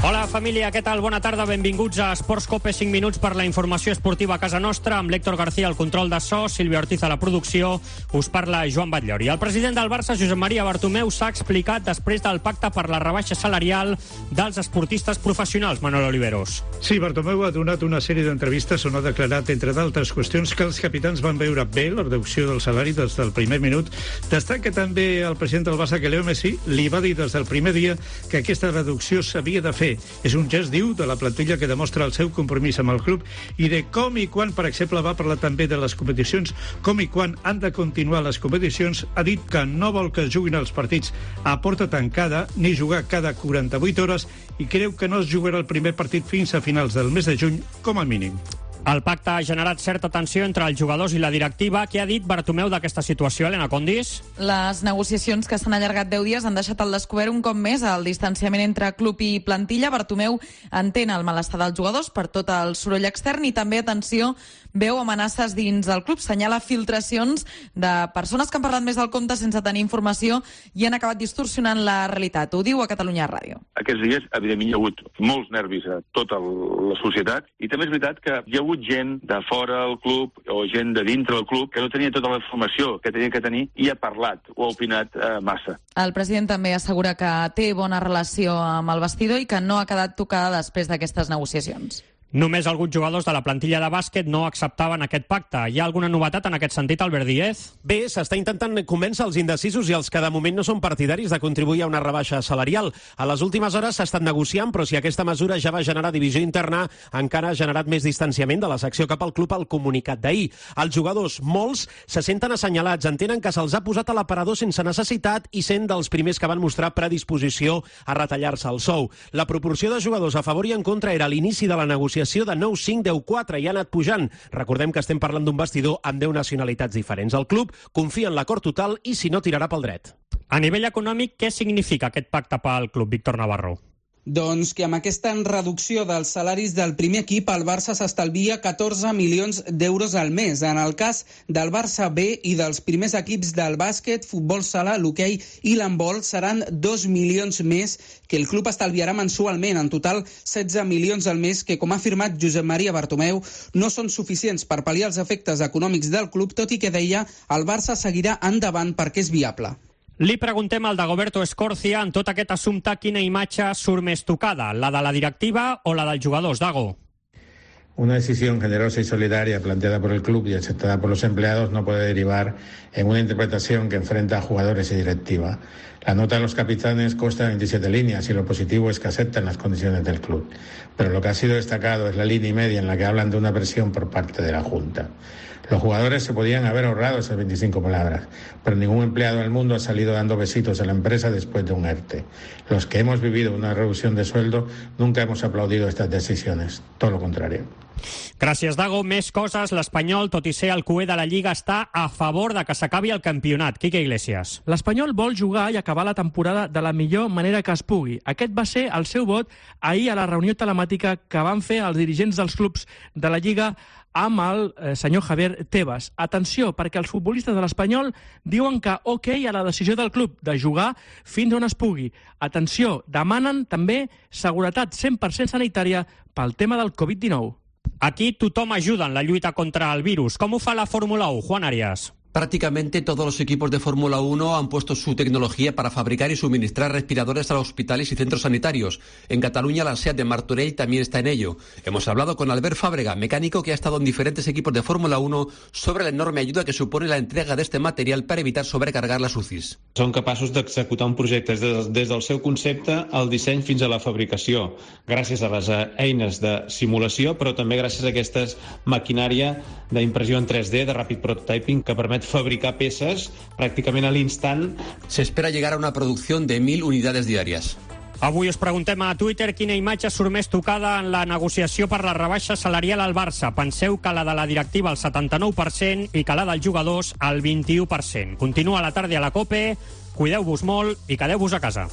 Hola família, què tal? Bona tarda, benvinguts a Esports Cope, 5 minuts per la informació esportiva a casa nostra, amb l'Héctor García al control de so, Sílvia Ortiz a la producció, us parla Joan Batllori. El president del Barça, Josep Maria Bartomeu, s'ha explicat després del pacte per la rebaixa salarial dels esportistes professionals, Manuel Oliveros. Sí, Bartomeu ha donat una sèrie d'entrevistes on ha declarat, entre d'altres qüestions, que els capitans van veure bé la reducció del salari des del primer minut. Destaca també el president del Barça que Leo Messi li va dir des del primer dia que aquesta reducció s'havia de fer. És un gest, diu, de la plantilla que demostra el seu compromís amb el club i de com i quan, per exemple, va parlar també de les competicions, com i quan han de continuar les competicions. Ha dit que no vol que es juguin els partits a porta tancada ni jugar cada 48 hores i creu que no es jugarà el primer partit fins a finals del mes de juny, com a mínim. El pacte ha generat certa tensió entre els jugadors i la directiva. Què ha dit Bartomeu d'aquesta situació, Helena Condis? Les negociacions, que s'han allargat 10 dies, han deixat al descobert un cop més el distanciament entre club i plantilla. Bartomeu entén el malestar dels jugadors per tot el soroll extern i també, atenció, veu amenaces dins del club. Senyala filtracions de persones que han parlat més del compte sense tenir informació i han acabat distorsionant la realitat. Ho diu a Catalunya Ràdio. Aquests dies, evidentment, hi ha hagut molts nervis a tota la societat i també és veritat que hi ha hagut gent de fora del club o gent de dintre del club que no tenia tota la informació que tenia que tenir i ha parlat o ha opinat massa. El president també assegura que té bona relació amb el vestidor i que no ha quedat tocada després d'aquestes negociacions. Només alguns jugadors de la plantilla de bàsquet no acceptaven aquest pacte. Hi ha alguna novetat en aquest sentit, Albert Díez? Bé, s'està intentant convèncer els indecisos i els que de moment no són partidaris de contribuir a una rebaixa salarial. A les últimes hores s'ha estat negociant, però si aquesta mesura ja va generar divisió interna, encara ha generat més distanciament de la secció cap al club al comunicat d'ahir. Els jugadors, molts, se senten assenyalats, entenen que se'ls ha posat a l'aparador sense necessitat i sent dels primers que van mostrar predisposició a retallar-se el sou. La proporció de jugadors a favor i en contra era a l'inici de la negociació de 9-5, 10-4 i ha anat pujant. Recordem que estem parlant d'un vestidor amb 10 nacionalitats diferents. El club confia en l'acord total i si no tirarà pel dret. A nivell econòmic, què significa aquest pacte pel club, Víctor Navarro? Doncs que amb aquesta reducció dels salaris del primer equip, el Barça s'estalvia 14 milions d'euros al mes. En el cas del Barça B i dels primers equips del bàsquet, futbol sala, l'hoquei i l'handbol, seran 2 milions més que el club estalviarà mensualment. En total, 16 milions al mes que, com ha afirmat Josep Maria Bartomeu, no són suficients per pal·liar els efectes econòmics del club, tot i que, deia, el Barça seguirà endavant perquè és viable. Li preguntem al Dagoberto Escorcia, en tot aquest assumpte, quina imatge surt més tocada, la de la directiva o la dels jugadors, Dago? Una decisión generosa y solidaria planteada por el club y aceptada por los empleados no puede derivar en una interpretación que enfrenta a jugadores y directiva. La nota de los capitanes consta de 27 líneas y lo positivo es que aceptan las condiciones del club. Pero lo que ha sido destacado es la línea y media en la que hablan de una presión por parte de la Junta. Los jugadores se podían haber ahorrado esas 25 palabras, pero ningún empleado del mundo ha salido dando besitos a la empresa después de un ERTE. Los que hemos vivido una reducción de sueldo nunca hemos aplaudido estas decisiones, todo lo contrario. Gràcies, Dago. Més coses. L'Espanyol, tot i ser el cuer de la Lliga, està a favor de que s'acabi el campionat. Quique Iglesias. L'Espanyol vol jugar i acabar la temporada de la millor manera que es pugui. Aquest va ser el seu vot ahir a la reunió telemàtica que van fer els dirigents dels clubs de la Lliga amb el senyor Javier Tebas. Atenció, perquè els futbolistes de l'Espanyol diuen que ok a la decisió del club de jugar fins on es pugui. Atenció, demanen també seguretat 100% sanitària pel tema del Covid-19. Aquí tothom ajuda en la lluita contra el virus. Com ho fa la Fórmula 1, Juan Arias? Prácticamente todos los equipos de Fórmula 1 han puesto su tecnología para fabricar y suministrar respiradores a los hospitales y centros sanitarios. En Cataluña, la SEAT de Martorell también está en ello. Hemos hablado con Albert Fàbrega, mecánico que ha estado en diferentes equipos de Fórmula 1, sobre la enorme ayuda que supone la entrega de este material para evitar sobrecargar las UCIs. Són capaços d'executar un projecte des del seu concepte al disseny fins a la fabricació, gràcies a les eines de simulació, però també gràcies a aquesta maquinària d'impressió en 3D, de Rapid Prototyping, que permet fabricar peces pràcticament a l'instant. Se espera llegar a una producción de 1.000 unidades diarias. Avui us preguntem a Twitter quina imatge surt més tocada en la negociació per la rebaixa salarial al Barça. Penseu que la de la directiva al 79% i que la dels jugadors al 21%. Continua la tarda a la COPE, cuideu-vos molt i quedeu-vos a casa.